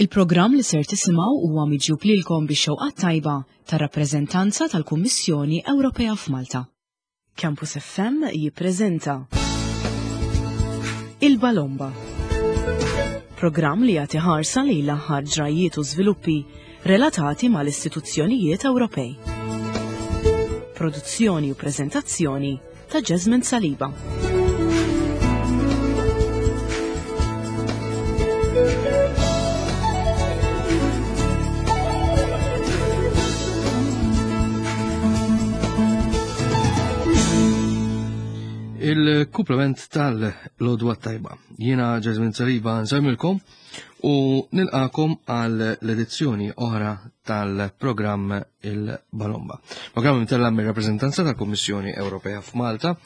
Il-programm li ser tisimgħu huwa miġjub lilkom bix-xewqa t-tajba tar-rappreżentanza tal-Kummissjoni Ewropea f'Malta. Campus FM jippreżenta Il-Balomba. Programm li jagħti ħarsa lejn l-aħħar ġrajjiet u żviluppi relatati mal-istituzzjonijiet Ewropej. Produzzjoni u preżentazzjoni ta' Jasmine Saliba. Il-kuplament tal-lodwa tajba. Jiena Jasmine Saliba nsemilkom u nilqakom għal l-edizzjoni oħra tal-programm il-Balomba. Programm imtella mir rappreżentanza tal-Kummissjoni Ewropea f'Malta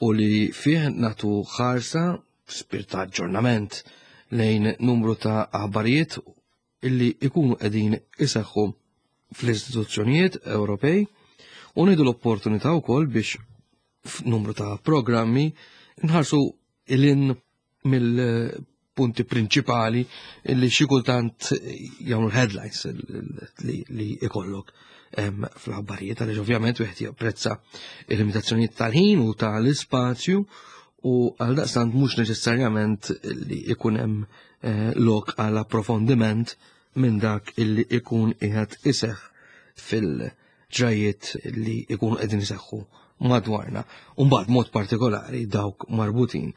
u li fih natu ħarsa spirt ta' aġġornament lejn numru ta' aħbarijiet illi ikunu qegħdin iseħħu fl-istituzzjonijiet Ewropej u nidu l-opportunità wkoll biex f'numru ta' programmi nħarsu il-in mill-punti prinċipali li xi kultant jagħmlu headlines li ikollok fl-aħbarijiet għaliex ovvjament wieħed japprezza il-limitazzjonijiet tal-ħin u tal-ispazju u għal daqstant mhux neċessarjament li ikun hemm eh, lok għal approfondiment minn dak illi ikun qiegħed iseħħ fil- ġrajiet li jkunu qegħdin iseħħu madwarna, u mbagħad mod partikolari dawk marbutin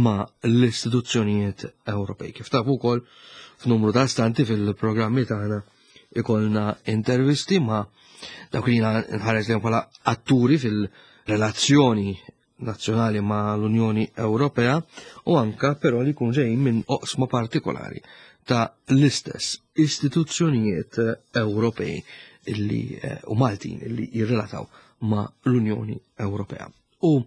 ma' l-istituzzjonijiet Ewropej. Kif tafu wkoll f'numru ta' stanti fil-programmi tagħna ikollna intervisti ma' dawk li nħares li bħala atturi fil-relazzjoni nazzjonali ma' l-Unjoni Ewropea u anka però li jkun ġejjin minn oqsma partikolari ta' l-istess istituzzjonijiet Ewropej illi eh, u Maltin illi jirrelataw ma' l-Unjoni Ewropea. U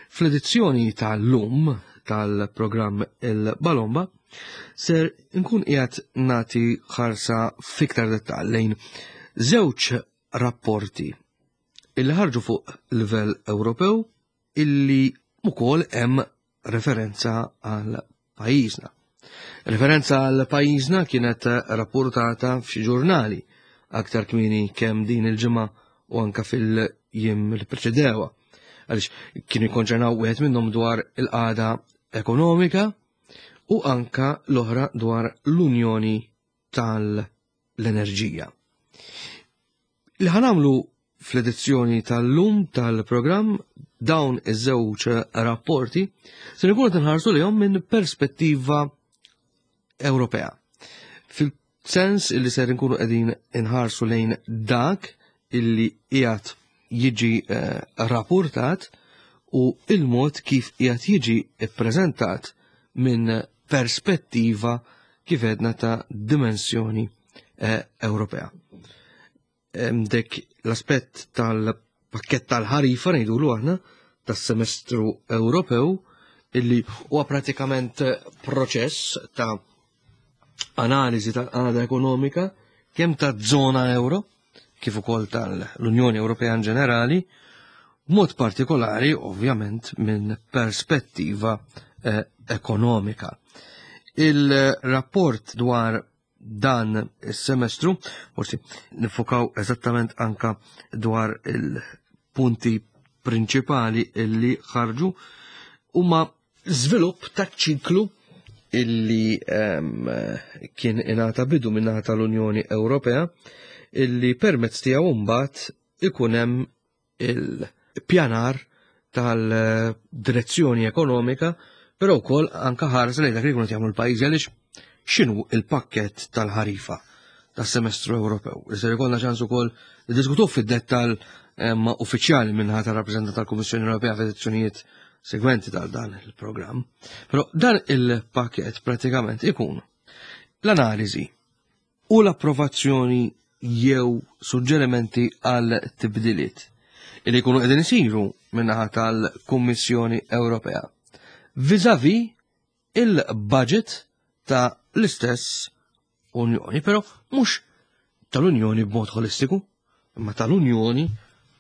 fl-edizzjoni tal-lum tal-programm il-Balomba ser nkun qiegħed nagħti ħarsa fiktar dettall lejn żewġ rapporti illi ħarġu fuq livell Ewropew illi ukoll hemm referenza għal pajjiżna. Referenza għal pajjiżna kienet rapportata f'xi ġurnali aktar kmieni kemm din il-ġimgħa u anka fil-jiem li preċedewa. Għaliex kienu jikkonċernaw wieħed minnhom dwar il-qagħda ekonomika u anka l-oħra dwar l-Unjoni tal-Enerġija. Li ħanamlu fl-edizzjoni tal-lum tal-programm dawn iż-żewġ rapporti se nkunu qed nħarsu lihom minn perspettiva Ewropea. Fil-sens illi ser nkunu qegħdin inħarsu lejn dak illi qiegħed jiġi eh, rapportat u il-mod kif qiegħed jiġi ppreżentat minn perspettiva kif edna ta' dimensjoni eh, Ewropea. Dek l-aspett tal-pakket tal-ħarifa ngħidulu aħna tas-semestru Ewropew illi huwa pratikament proċess ta' analiżi tal-qagħda ekonomika kemm ta' żona euro kif ukoll tal-Unjoni Ewropea in ġenerali, b'mod partikolari ovvjament minn perspettiva eh, ekonomika. Il-rapport dwar dan is-semestru, forsi nifokaw eżattament anka dwar il-punti prinċipali illi ħarġu huma żvilupp ta' ċiklu illi um, kien ingħata bidu minnaħa tal-Unjoni Ewropea illi permezz tiegħu mbagħad ikun hemm il-pjanar tal-direzzjoni ekonomika, però wkoll anka ħares lejn dak li jkunu jagħmlu l-pajjiżi għaliex x'inhu il-pakkett tal-ħarifa tas-semestru Ewropew. Iżda jkollna ċans ukoll niddiskutuh fid-dettall eh, ma' uffiċjali minnaħa tar-rappreżentant tal-Kummissjoni Ewropea f'edizzjonijiet segwenti tal dan il-programm. Però dan il-pakkett pratikament ikun l-analiżi u l-approvazzjoni jew suġġerimenti għal tibdiliet li jkunu qegħdin isiru min-naħa tal-Kummissjoni Ewropea viżavi il-budget ta' l-istess Unjoni, però mhux tal-Unjoni b'mod holistiku, imma tal-Unjoni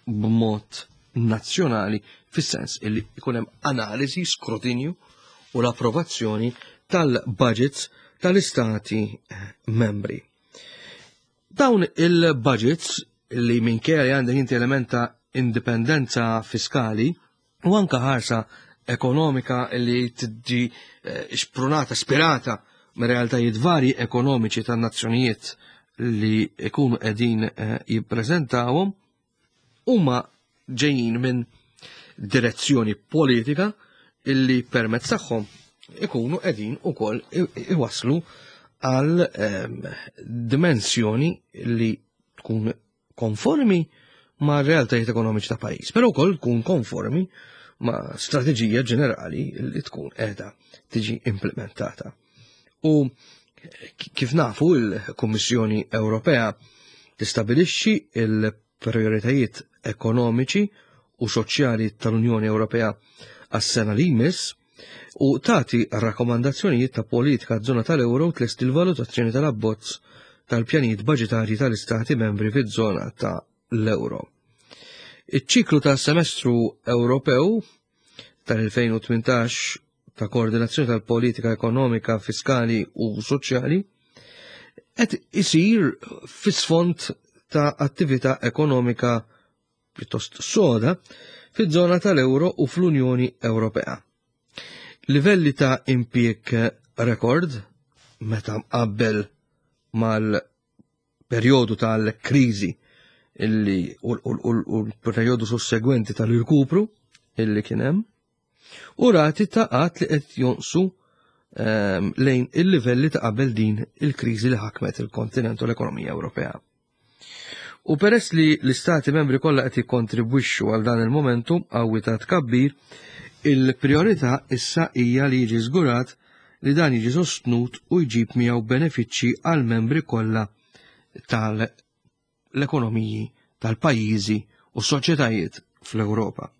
b'mod nazzjonali fis-sens illi jkun hemm analiżi, skrutinju u l-approvazzjoni tal-budgets tal-istati membri. Dawn il-budgets li minkejja li għandek inti element ta' indipendenza fiskali u anka ħarsa ekonomika li tiġi eh, xprunata, spirata me realtajiet varji ekonomiċi tan-nazzjonijiet li ikunu qegħdin eh, jippreżentawhom, huma ġejjin minn direzzjoni politika illi permezz tagħhom ikunu qegħdin ukoll iwaslu għal ehm, dimensjoni li tkun konformi ma' realtajiet ekonomiċi ta' pajjiż, però wkoll tkun konformi ma' strateġija ġenerali li tkun qiegħda tiġi implementata. U kif nafu il-Kummissjoni Ewropea tistabilixxi il-prioritajiet ekonomiċi u soċjali tal-Unjoni Ewropea għas-sena li jmiss u tagħti rakkomandazzjonijiet ta' politika żona tal-euro tlesti l-valutazzjoni tal-abbozz tal-pjanijiet baġitarji tal-istati membri fiż-żona ta' l-euro. Iċ-ċiklu ta' semestru Ewropew tal-2018 ta' koordinazzjoni tal-politika ekonomika, fiskali u soċjali qed isir fis-sfond ta' attività ekonomika pjuttost soda fiż-żona tal-euro u fl-Unjoni Ewropea. Livelli ta' impjieg rekord meta mqabbel mal perjodu tal-kriżi illi u l-perjodu sussegwenti tal-irkupru illi kien hemm u rati ta' qatt li qed jonqsu ehm, lejn il-livelli ta' qabel din il-kriżi li ħakmet il-kontinent u l-ekonomija Ewropea. U peress li l-istati membri kollha qed jikkontribwixxu għal dan il-momentum qawwi ta' tkabbir, il-priorità issa hija li jiġi żgurat li dan jiġi sostnut u jġib miegħu benefiċċji għall-membri kollha tal-ekonomiji tal-pajjiżi u s-soċjetajiet fl-Ewropa.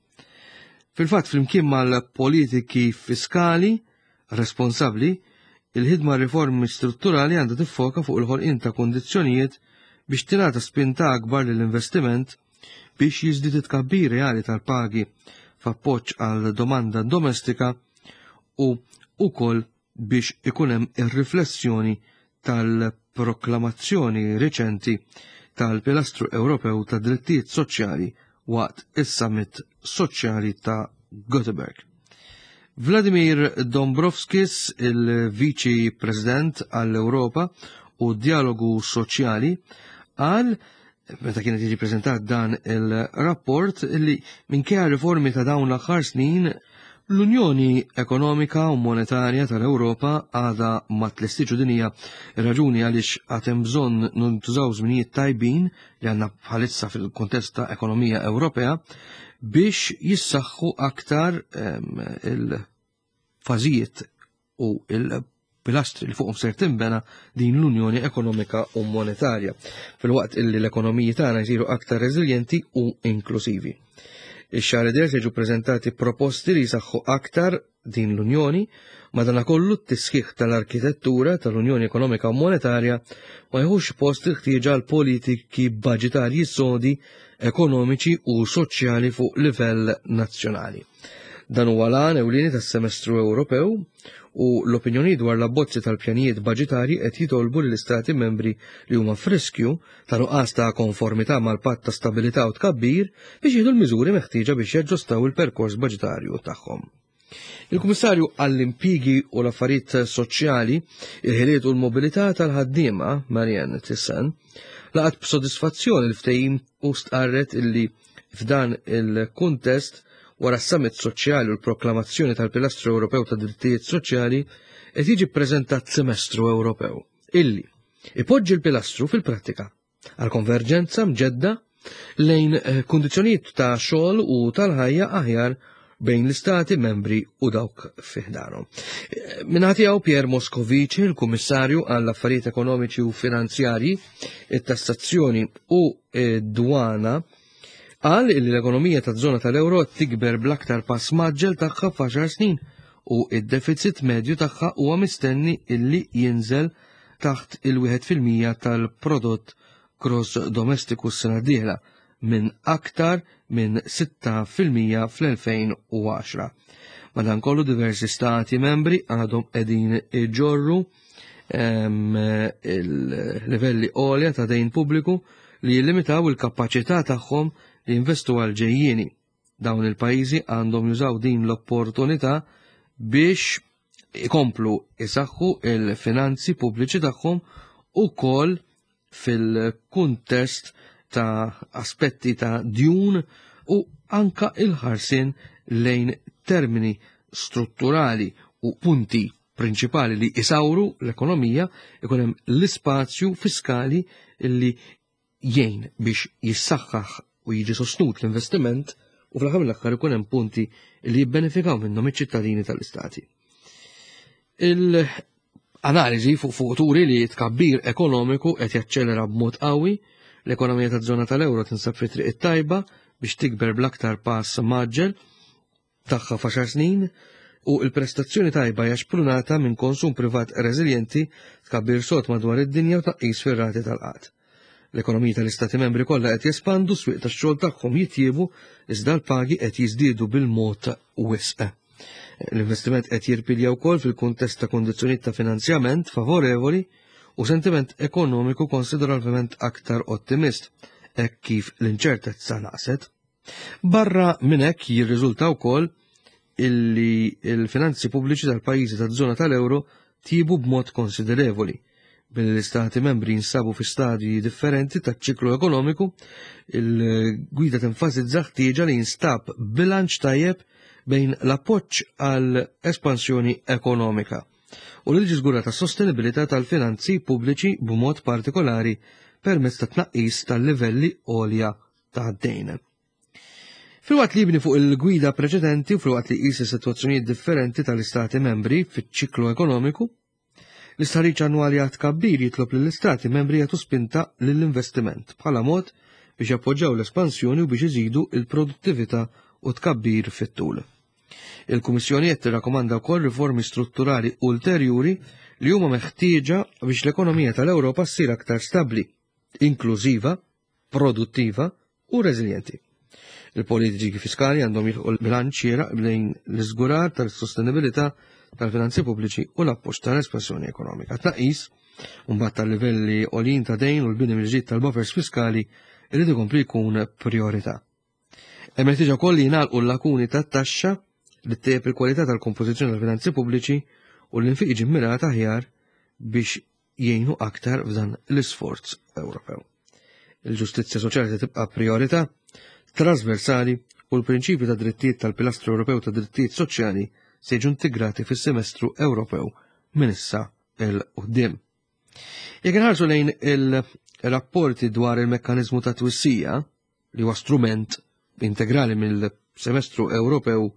Fil-fatt, flimkien mal-politiki fiskali responsabbli, il-ħidma riformi strutturali għandha tiffoka fuq il-ħolqien ta' kundizzjonijiet biex tingħata spinta akbar lill-investiment biex jiżdied it-tkabbir reali tal-pagi f'appoġġ għal domanda domestika u wkoll biex ikun hemm ir-riflessjoni tal-proklamazzjoni riċenti tal-Pilastru Ewropew ta' Drittijiet Soċjali waqt is-Summit Soċjali ta' Göteborg. Vladimir Dombrovskis, il-Viċi President għall-Ewropa u Dialogu Soċjali, qal meta kienet jiġi preżentat dan il-rapport li minkejja riformi ta' dawn l-aħħar snin l-Unjoni Ekonomika u Monetarja tal-Ewropa għadha ma tlestiġu din hija raġuni għaliex għad hemm bżonn ntużaw żminijiet tajbin li għandna bħalissa fil-kuntest ta' ekonomija Ewropea biex jissaħħu aktar ehm, il-fażijiet u il-pilastri li fuqhom ser tinbena din l-Unjoni Ekonomika u Monetarja, filwaqt illi l-ekonomiji tagħna jsiru aktar reżiljenti u inklusivi. Ix-xahar id se jiġu preżentati proposti li jsaħħu aktar din l-Unjoni, madanakollu t-tisħiħ tal-arkitettura tal-Unjoni Ekonomika u Monetarja ma jħux post il-ħtieġa għal politiki baġitarji sodi, ekonomiċi u soċjali fuq livell nazzjonali. Dan huwa l-għan ewlieni tas-Semestru Ewropew u l-opinjoni dwar l-abbozzi tal-pjanijiet baġitarji qed jitolbu lill-istati membri li huma f'riskju ta' nuqqas ta' konformità mal-Patt ta' Stabilità u Tkabbir biex jieħdu l-miżuri meħtieġa biex jaġġustaw il-perkors baġitarju tagħhom. Il-Kummissarju għall-Impjiegi u l-Affarijiet Soċjali, il-Ħiliet u l-Mobilità tal-Ħaddiema, Marianne Thyssen, laqat b'sodisfazzjon il-ftehim u stqarret illi F'dan il-kuntest, wara s-Summit Soċjali u l-proklamazzjoni tal-Pilastru Ewropew ta' Drittijiet Soċjali, qed jiġi ppreżentat Semestru Ewropew illi ipoġġi l-pilastru fil-prattika għal konverġenza mġedda lejn eh, kundizzjonijiet ta' xogħol u tal-ħajja aħjar bejn l-istati membri u dawk fi ħdanhom. Eh, Minħa tiegħu Pierre Moscovici, il-Kummissarju għall-Affarijiet Ekonomiċi u Finanzjarji, it-Tassazzjoni u dwana, qal li l-ekonomija taż-żona tal-euro qed tikber bl-aktar pass mgħaġġel tagħha f'għaxar snin u id-deficit medju tagħha huwa mistenni illi jinżel taħt il-1% tal-prodott gross domestiku s-sena d-dieħla minn aktar minn 6% fl-2010. Madankollu diversi stati membri għadhom qegħdin iġorru Il-livelli għolja ta' dejn pubbliku li jillimitaw il-kapaċità tagħhom li jinvestu għal ġejjieni. Dawn il-pajjiżi għandhom jużaw din l-opportunità biex ikomplu isaħħu il-finanzi pubbliċi tagħhom ukoll fil-kuntest ta' aspetti ta' djun u anka il-ħarsien lejn termini strutturali u punti prinċipali li isawru l-ekonomija ikun hemm l-ispazju fiskali li jgħin biex jissaħħaħ u jiġi sostnut l-investiment u fl-aħħar mill-aħħar ikun hemm punti li jibbenefikaw minnhom iċ-ċittadini tal-istati. Il-analiżi fuq fuq turi li tkabbir ekonomiku qed jaċċelera b'mod qawwi, l-ekonomija taż-żona tal-euro tinsab fi triq it-tajba biex tikber bl-aktar pass maġġel tagħha f'għaxar snin u l-prestazzjoni tajba hija xprunata minn konsum privat reżiljenti, tkabbir sod madwar id-dinja u tnaqqis fir-rati tal-qgħad. L-ekonomiji tal-Istati Membri kollha qed jespandu, s-swieq tax-xogħol tagħhom jitjiebu iżda l-pagi qed jiżdiedu bil-mod wisq. L-investiment qed jirpilja wkoll fil-kuntest ta' kundizzjonijiet ta' finanzjament favorevoli u sentiment ekonomiku konsiderevolment aktar ottimist hekk kif l-inċertezza naqset. Barra minn hekk jirriżulta wkoll illi l-finanzi pubbliċi tal-pajjiżi taż-żona tal-euro tjiebu b'mod konsiderevoli. Billi l-istati membri jinsabu fi stadji differenti taċ-ċiklu ekonomiku, il-gwida tenfasizza ħtieġa li jinstab bilanċ tajjeb bejn l-appoġġ għal espansjoni ekonomika u li tiġi żgurata s-sostenibilità tal-finanzi pubbliċi b'mod partikolari permezz ta' tnaqqis tal-livelli għolja ta' dejn. Filwaqt li jibni fuq il-gwida preċedenti u filwaqt li jqis is-sitwazzjonijiet differenti tal-Istati membri fiċ-ċiklu ekonomiku, l-istħarriġ annwali għat kabbir jitlob lill-Istati membri jagħtu spinta lill-investiment bħala mod biex jappoġġaw l-espansjoni u biex iżidu il-produttività u tkabbir fit-tul. Il-Kummissjoni qed tirrakkomanda wkoll riformi strutturali ulterjuri li huma meħtieġa biex l-ekonomija tal-Ewropa ssir aktar stabbli, inklużiva produttiva u reżiljenti. Il-politiċi fiskali għandhom jilħqu l-bilanċ xieraq bejn l-iżgurar tal-sostenibilità tal-finanzi pubbliċi u l-appoġġ tal-espansjoni ekonomika. Tnaqqis mbagħad tal-livelli għoljin ta' dejn u l-bini mill-ġdid tal-buffers fiskali irid ikompli jkun priorità. Hemm ħtieġa wkoll li jingħalqu l-lakuni tat-taxxa li ttejjeb il-kwalità tal-kompożizzjoni tal-finanzi pubbliċi u l-infiq jiġi mmirat aħjar biex jgħinu aktar f'dan l-isforz Ewropew. Il-ġustizzja soċjali se tibqa' priorità trasversali u l-prinċipju ta' drittijiet tal-Pilastru Ewropew ta' Drittijiet Soċjali se jiġu integrati fis-semestru Ewropew minn issa 'l quddiem. Jekk inħarsu lejn il-rapporti dwar il-mekkaniżmu ta' twissija, li huwa strument integrali mill-semestru Ewropew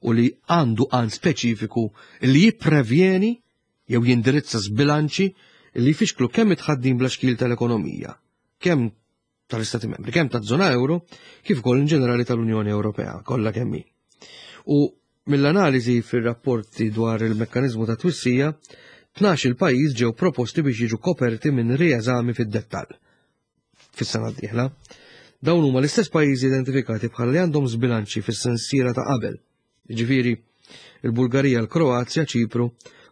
u li għandu għan speċifiku li jipprevjeni jew jindirizza żbilanċi li jfixklu kemm it-tħaddim bla xkil tal-ekonomija, kemm tal-Istati Membri, kemm taż-żona euro, kif ukoll in ġenerali tal-Unjoni Ewropea kollha kemm hi. U mill-analiżi fir-rapporti dwar il-mekkaniżmu ta' twissija, 12 il-pajjiż ġew proposti biex jiġu koperti minn rieżami fid-dettall fis-sena d-dieħla. Dawn huma l-istess pajjiżi identifikati bħala li għandhom żbilanċi fis-sensiela ta' qabel. Jiġifieri, il-Bulgarija, l-Kroazja, Ċipru,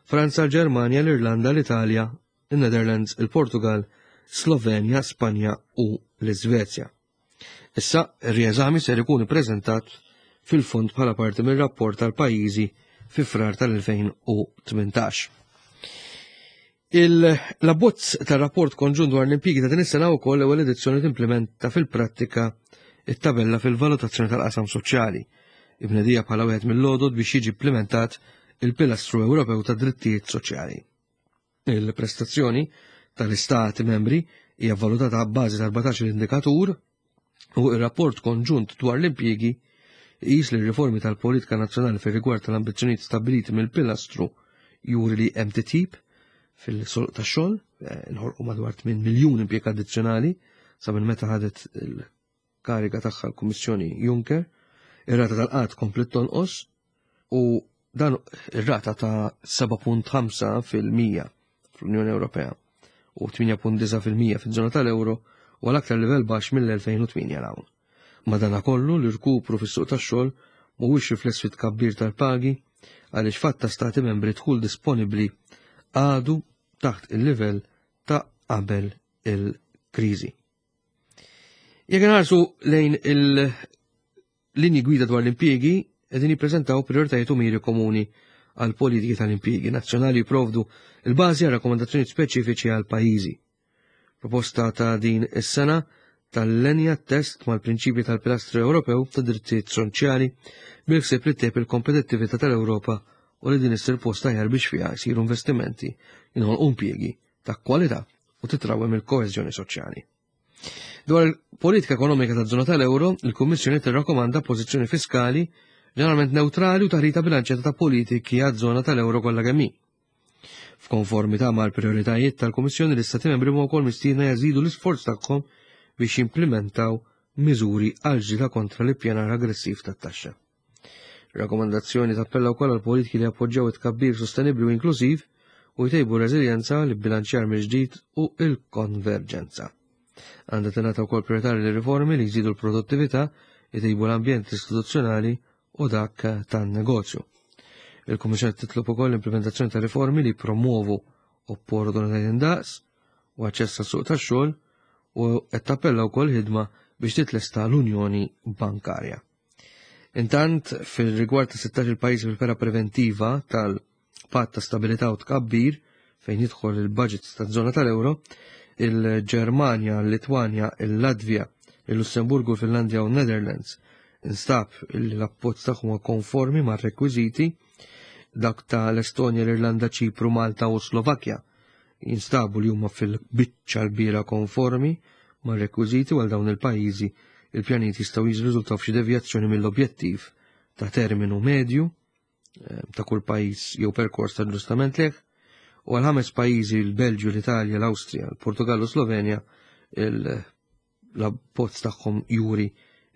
Franza, l-Ġermanja, l-Irlanda, l-Italja, in-Netherlands, il-Portugal, Slovenja, Spanja u l-Iżvezja. Issa, ir-rieżami ser ikun ippreżentat fil-fond bħala parti mir-rapport tal-pajjiżi fi Frar tal-2018. Il-abbozz tar-rapport konġunt dwar l-impjiegi ta' din is-sena wkoll l-ewwel edizzjoni timplementa fil-prattika it-tabella fil-valutazzjoni tal-qasam soċjali, imnedija bħala wieħed mill-għodod biex jiġi implimentat il-Pilastru Ewropew tad Drittijiet Soċjali. Il-prestazzjoni tal-Istati membri hija valutata b'bażi ta' 14 indikatur u r-rapport konġunt dwar l-impjiegi jqis li r-riformi tal-politika nazzjonali fir-rigward tal-ambizzjonijiet stabbiliti mill-pilastru juri li hemm titjib fil-suq tax-xogħol, eh, nħolqu madwar 8 miljun impjieg addizzjonali sa minn meta ħadet il-kariga tagħha l-Kummissjoni Juncker, ir-rata tal-qgħad komplet tonqos u dan ir-rata ta' 7.5 fil-mija fl-Unjoni Ewropea u 8.9 fil-mija fiż-żona tal-euro u għal aktar livell baxx mill-2008 'l hawn. Madanakollu, l-irkupru fis-suq tax-xogħol mhuwiex rifless fit-tkabbir tal-pagi għaliex f'għadd ta' stati membri dħul disponibbli għadu taħt il-livell ta' qabel il-kriżi. Jekk inħarsu lejn il-linji gwida dwar l-impjiegi, qegħdin jippreżentaw prijoritajiet u miri komuni għal politiki tal-impjiegi nazzjonali jipprovdu il-bażi għal rakkomandazzjonijiet speċifiċi għal pajjiżi. Proposta ta' din is-sena tal-lenja test mal-prinċipji tal-Pilastru Ewropew ta' Drittijiet Soċjali bil-ħsieb li ttejjeb il-kompetittività tal-Ewropa u li din issir post aħjar biex fiha jsiru investimenti, jinħolqu impjiegi ta' kwalità u titrawwem il-koeżjoni soċjali. Dwar il-politika ekonomika taż-żona tal-euro, il-Kummissjoni tirrakkomanda pożizzjoni fiskali ġeneralment newtrali u taħlita bilanċjata ta' politiki għaż-żona tal-euro kollha kemm hi. F'konformità mal-prijoritajiet tal-Kummissjoni, l-Istati Membri huma wkoll mistiedna jażidu l-isforz tagħhom biex jimplimentaw miżuri għal ġlieda kontra l-ippjanar aggressiv tat-taxxa. Ir-rakkomandazzjoni tappella wkoll għal politiki li jappoġġjaw it-tkabbir sostenibbli u inklużiv u jtejbu r-reżiljenza, l-ibbilanċjar mill-ġdid u l-konverġenza. Għandha tingħata wkoll priorità lir-riformi li jżidu l-produttività, jtejbu l-ambjent istituzzjonali u dak tan-negozju. Il-Kummissjoni titlob ukoll l-implementazzjoni ta' riformi li jippromuovu opportunitajiet indaqs u aċċess għas-suq tax-xogħol u qed tappella wkoll ħidma biex titlesta l-Unjoni Bankarja. Intant, fil-rigward ta' 16 il-pajjiż fil-fera preventiva tal-Patt ta' Stabilità u Tkabbir fejn jidħol il-budget taż-żona tal-euro, il-Ġermanja, il-Litwanja, il-Latvja, il-Lussemburgu, il-Finlandja u n-Netherlands instab li l-appoġġ tagħhom huwa konformi mar-rekwiżiti dak ta' l-Estonja, l-Irlanda, Ċipru, Malta u Slovakkja jinstabu li huma fil-biċċa l-kbira konformi mar-rekwiżiti u għal dawn il-pajjiżi il-pjanijiet jistgħu jirriżultaw f'xi devjazzjoni mill-objettiv ta' terminu medju eh, ta' kull pajjiż jew perkors ta' ġustament leh, u għal ħames pajjiżi l-Belġju, l-Italja, l-Awstrija, l-Portugallu, Slovenja, l-abbozz tagħhom juri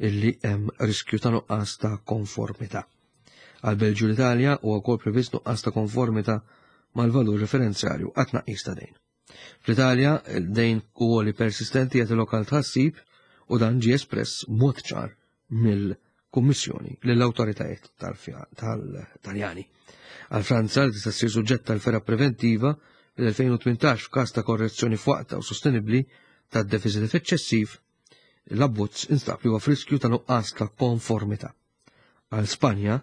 illi hemm riskju ta' nuqqas ta' konformità. Għal Belġju l-Italja huwa wkoll previst nuqqas ta' konformità mal-valur referenzjarju għat tnaqqis ta' dejn. Fl-Italja, dejn għoli persistenti jagħti lokal tħassib u dan ġie espress mod ċar mill-Kummissjoni lill-awtoritajiet tal-Taljani. Għal Franza li tista' ssir suġġett tal-ferra preventiva fil-2018 f'każ ta' korrezzjoni f'waqta u sostenibbli tad-defisit eċċessiv, l-abbozz instab li huwa f'riskju ta' nuqqas ta' konformità. Għal Spanja,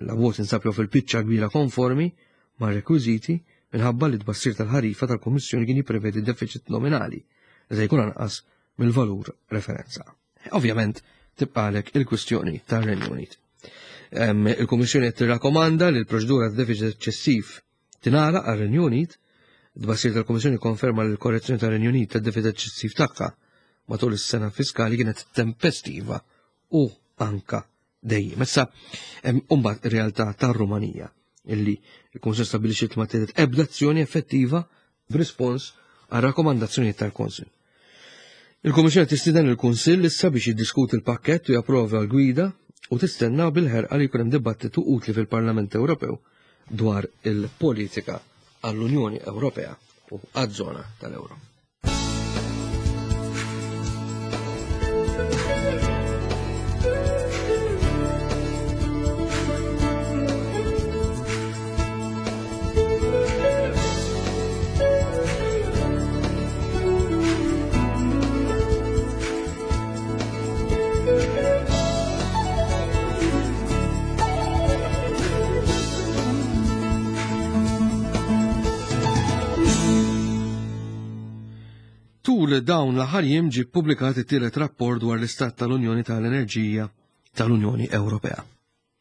l-abbozz insab jew fil-biċċa kbira konformi mar-rekwiżiti minħabba li t-tbassir tal-ħarifa tal-Kummissjoni kien jipprevedi deficit nominali li se jkun anqas mill-valur referenza. Ovvjament, tibqalek il-kwistjoni tar-Renju Unit. Il-Kummissjoni qed tirrakkomanda li l-proċedura ta' deficit eċċessiv tingħalaq għar-Renju Unit. Tbassir tal-Kummissjoni konferma li l-korrezzjoni tar-Renju Unit tad-deficit eċċessiv tagħha matul is-sena fiskali kienet tempestiva u anka dejjem. Issa, mbagħad ir-realtà tar-Rumanija illi il-Kunsill stabbilixxiet ma tieħdet ebda azzjoni effettiva b'rispons għal rakkomandazzjonijiet tal-Kunsill. Il-Kummissjoni tistieden il-Kunsill issa biex jiddiskuti l-pakkett u japprova l-gwida u tistenna bil-ħerqa li jkun hemm dibattitu utli fil-Parlament Ewropew dwar il-politika għall-Unjoni Ewropea u għaż-żona tal-Ewro. Tul dawn l-aħħar jiem ġie ppubblikat it-tielet rapport dwar l-Istat tal-Unjoni tal-Enerġija tal-Unjoni Ewropea.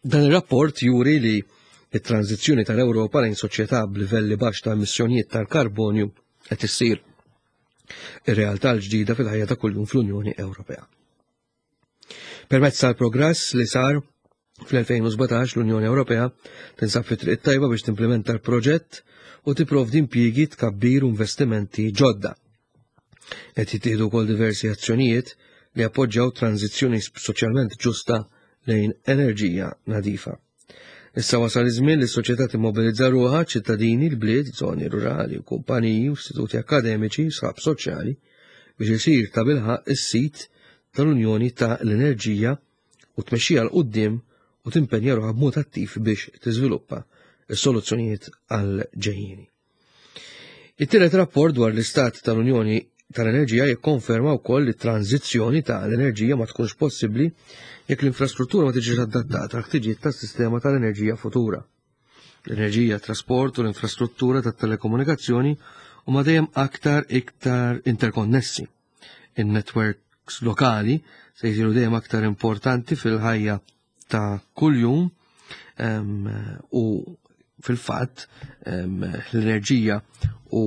Dan ir-rapport juri li it-tranzizzjoni tal-Ewropa lejn soċjetà b'livelli baxx ta' emissjonijiet tal-karbonju qed issir ir-realtà l-ġdida fil-ħajja ta' kuljum fl-Unjoni Ewropea. Permezz tal-progress li sar fl-2017 l-Unjoni Ewropea tinsab fi triq tajba biex timplementa l-proġett u tipprovdi impjiegi tkabbir u investimenti ġodda. Qed jittieħdu wkoll diversi azzjonijiet li appoġġjaw tranzizzjoni soċjalment ġusta lejn enerġija nadifa. Issa wasal iż-żmien li s-soċjetà timmobilizza ruħha ċittadini, l-bliet, żoni rurali, kumpaniji, istituti akademiċi, sħab soċjali biex isir ta' bilħaq is-sit tal-Unjoni ta' l-Enerġija u tmexxija 'l quddiem u timpenja ruħha b'mod attiv biex tiżviluppa s-soluzzjonijiet għal ġejjieni. It-tielet rapport dwar l-Istat tal-Unjoni tal-Enerġija jikkonferma wkoll li t-tranżizzjoni ta' l-enerġija ma tkunx possibbli jekk l-infrastruttura ma tiġix adattata għal ħtiġijiet tas-sistema tal-enerġija futura. L-enerġija, trasport u l-infrastruttura tat-telekomunikazzjoni huma dejjem aktar iktar interkonnessi. In-networks lokali se jsiru dejjem aktar importanti fil-ħajja ta' kuljum u fil-fatt l-enerġija u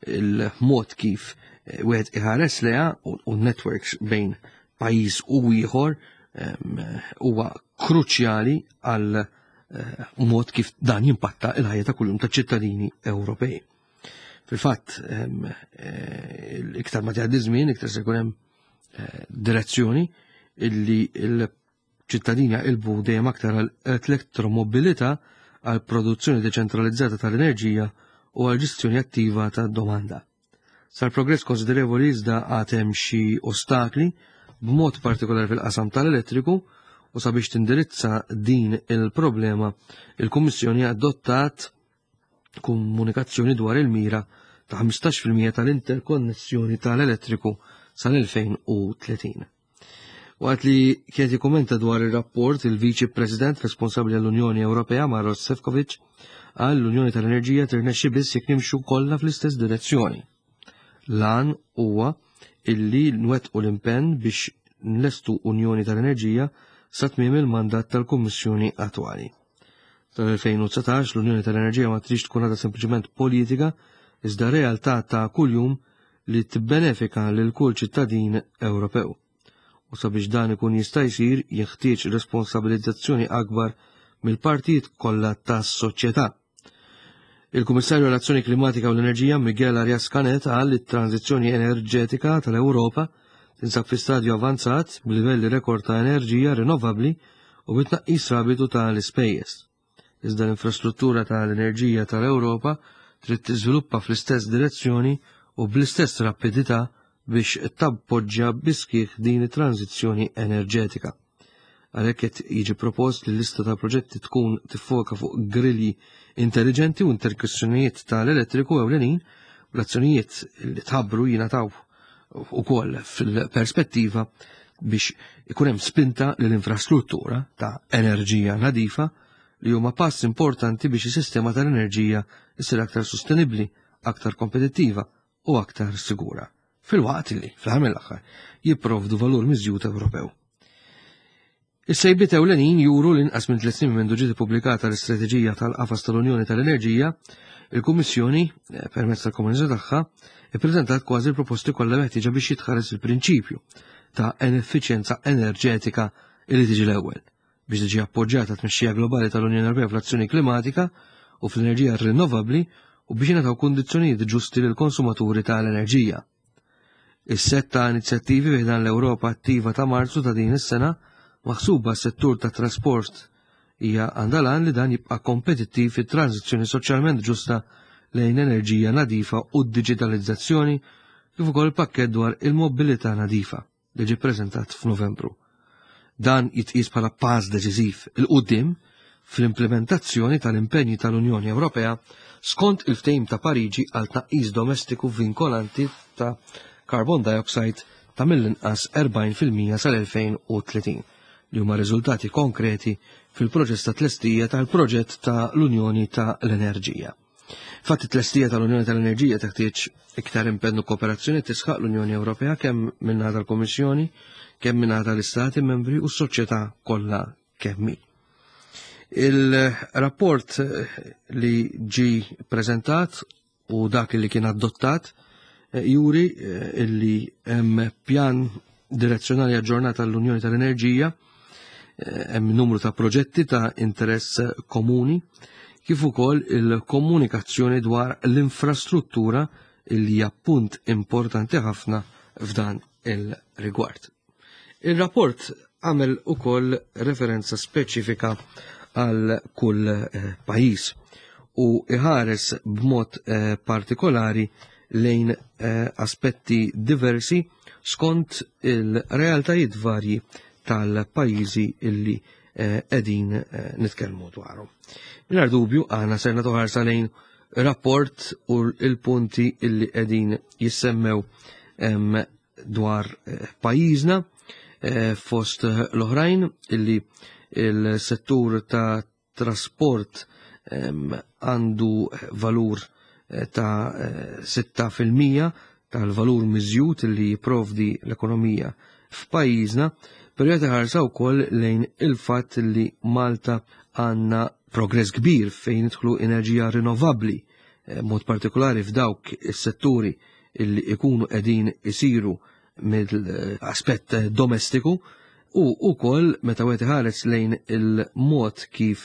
l-mod kif eh, wieħed iħares leha u networks bejn pajjiż u ieħor huwa kruċjali għal eh, mod kif dan jimpatta il-ħajja ta' kuljum ta' ċittadini Ewropej. Fil-fatt, eh, iktar ma tgħaddi żmien, iktar se jkun hemm direzzjoni illi l-ċittadini jaqilbu dejjem aktar għal elettromobilità għal produzzjoni deċentralizzata tal-enerġija u għal ġestjoni attiva tad-domanda. Sar progress konsiderevoli iżda għad hemm xi ostakli b'mod partikolari fil-qasam tal-elettriku u sabiex tindirizza din il-problema il-Kummissjoni adottat komunikazzjoni dwar il-mira ta' 15% tal-interkonnessjoni tal-elettriku sal-2030. Waqt li kienet jikkumenta dwar ir-rapport, il-Viċi President responsabbli għall-Unjoni Ewropea Maros Sefcovic qal l-Unjoni tal-Enerġija tirnexxi biss jekk nimxu kollha fl-istess direzzjoni. Lan huwa illi nwettqu l-impenn biex nlestu Unjoni tal-Enerġija sa tmiem il-mandat tal-Kummissjoni attwali. Sal-2019 l-Unjoni tal-Enerġija ma trix tkun għadha sempliċement politika iżda realtà ta' kuljum li tibbenefika lil kull ċittadin Ewropew. U sabiex dan ikun jista' jsir jeħtieġ responsabilizzazzjoni akbar mill-partijiet kollha tas-soċjetà. Il-Kummissarju għall-Azzjoni Klimatika u l-Enerġija Miguel Arias Canet qal li t-tranżizzjoni enerġetika tal-Ewropa tinsab fi stadju avanzat b'livelli rekord ta' enerġija rinnovabbli u bi tnaqqis rapidu tal-ispejjeż. Iżda l-infrastruttura tal-enerġija tal-Ewropa trid tiżviluppa fl-istess direzzjoni u bl-istess rapidità biex tappoġġja bis-sħiħ din it-tranżizzjoni enerġetika. Għalhekk qed jiġi propost li l-lista ta' proġetti tkun tiffoka fuq grilji intelligenti u interkonnessjonijiet tal-elettriku ewlenin bl-azzjonijiet li tħabbru jingħataw ukoll fil-perspettiva biex ikun hemm spinta lill-infrastruttura ta' enerġija nadifa li huma pass importanti biex is-sistema tal-enerġija issir aktar sostenibbli, aktar kompetittiva u aktar sigura, filwaqt li, fl-aħħar mill-aħħar, jipprovdu valur miżjud Ewropew. Is-sejbiet ewlenin juru li inqas minn tliet snin mindu ġiet ippubblikata l-istrateġija tal-qafas tal-Unjoni tal-Enerġija, il-Kummissjoni, eh, permezz tal-komunità tagħha, ippreżentat kważi l-proposti kollha meħtieġa biex jitħares il-prinċipju ta' effiċjenza enerġetika li tiġi l-ewwel biex tiġi appoġġjata tmexxija globali tal-Unjoni Ewropea fl-azzjoni klimatika u fl-enerġija rinnovabbli u biex jingħataw kundizzjonijiet ġusti lill-konsumaturi tal-enerġija. Is-sett ta' inizjattivi fi ħdan l-Ewropa Attiva ta' Marzu ta' din is-sena maħsuba għas-settur tat-trasport hija għandha l-għan li dan jibqa' kompetittiv fit-tranżizzjoni soċjalment ġusta lejn enerġija nadifa u d-diġitalizzazzjoni kif ukoll il-pakkett dwar il-mobilità nadifa li ġie ppreżentat f'Novembru. Dan jitqies bħala pass deċiżiv 'il quddiem fl-implimentazzjoni tal-impenji tal-Unjoni Ewropea skont il-Ftehim ta' Pariġi għal tnaqqis domestiku vinkolanti ta' carbon dioxide ta' mill-inqas 40% sal-2030, li huma riżultati konkreti fil-proċess ta' tlestija tal-proġett ta' l-Unjoni ta' l-Enerġija. Fatt it-tlestija tal-Unjoni tal-Enerġija teħtieġ iktar impenn u kooperazzjoni tisħaq l-Unjoni Ewropea kemm min-naħa tal-Kummissjoni, kemm min-naħa tal-Istati membri u s-soċjetà kollha kemm hi. Il-rapport li ġi preżentat u dak li kien adottat eh, juri eh, illi hemm pjan direzzjonali aġġornat għall-Unjoni tal-Enerġija, eh, hemm numru ta' proġetti ta' interess komuni, kif ukoll il-komunikazzjoni dwar l-infrastruttura li hija punt importanti ħafna f'dan il-rigward. Il-rapport għamel ukoll referenza speċifika għal kull eh, pajjiż u iħares b'mod eh, partikolari lejn eh, aspetti diversi skont il-realtajiet varji tal-pajjiżi illi qegħdin nitkellmu dwarhom. Mingħajr dubju aħna ser nagħtu ħarsa lejn rapport u l-punti illi qegħdin jissemmew dwar eh, pajjiżna eh, fost l-oħrajn illi il-settur ta' trasport għandu valur eh, ta' 6% tal-valur miżjud li jipprovdi l-ekonomija f'pajjiżna, però jagħti ħarsa wkoll lejn il-fatt li Malta għandna progress kbir fejn idħlu enerġija rinnovabbli, eh, mod partikolari f'dawk is-setturi illi ikunu qegħdin isiru mill-aspett domestiku u wkoll meta wieħed iħares lejn il-mod kif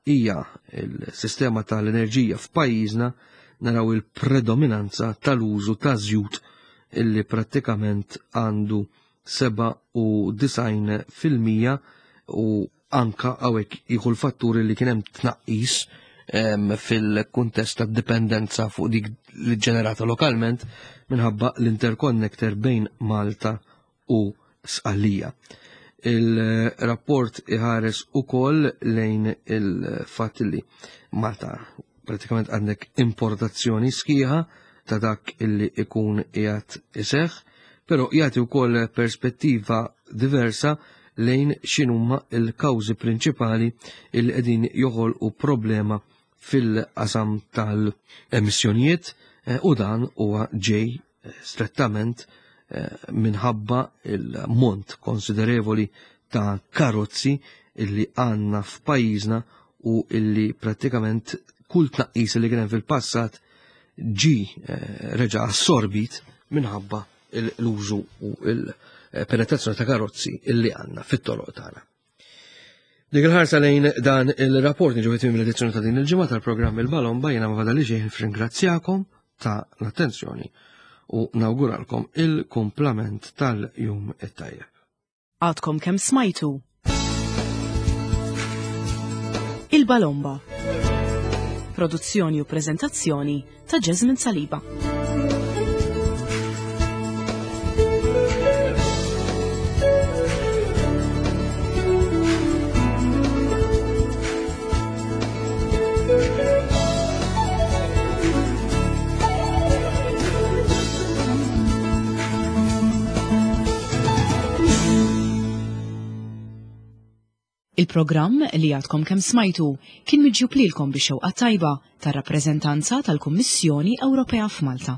hija il-sistema tal-enerġija f'pajjiżna naraw il-predominanza tal-użu ta' żjut illi prattikament għandu 97% u anka hawnhekk jieħu l-fatturi li kien hemm tnaqqis fil-kuntest ta' dipendenza fuq dik li ġenerata lokalment minħabba l-interconnector bejn Malta u Sqallija. Il-rapport iħares ukoll lejn il-fatt li Malta pratikament għandek importazzjoni sħiħa ta' dak illi ikun qiegħed iseħħ, però jagħti wkoll perspettiva diversa lejn x'inhuma l-kawżi prinċipali illi qegħdin joħolqu problema fil-qasam tal-emissjonijiet eh, u dan huwa ġej eh, strettament eh, minħabba il-mont konsiderevoli ta' karozzi illi għanna f'pajjiżna u illi prattikament kull tnaqqis li kien hemm fil-passat ġi reġa' assorbit minħabba l-użu u l-penetrazzjoni ta' karozzi illi għandna fit-toroq tagħna. Dik il-ħarsa lejn dan il-rapport niġu fit l-edizzjoni ta' din il-ġimgħa tal-programm il-Balomba jiena ma fadali xejn ringrazzjakom ta' l-attenzjoni u nawguralkom il-kumplament tal-jum it-tajjeb. Għadkom kemm smajtu Il-Balomba. Produzzjoni u preżentazzjoni ta' Jasmine Saliba. Il-programm li għadkom kemm smajtu kien miġjub lilkom bix-xewqa tajba tar-rappreżentanza tal-Kummissjoni Ewropea f'Malta.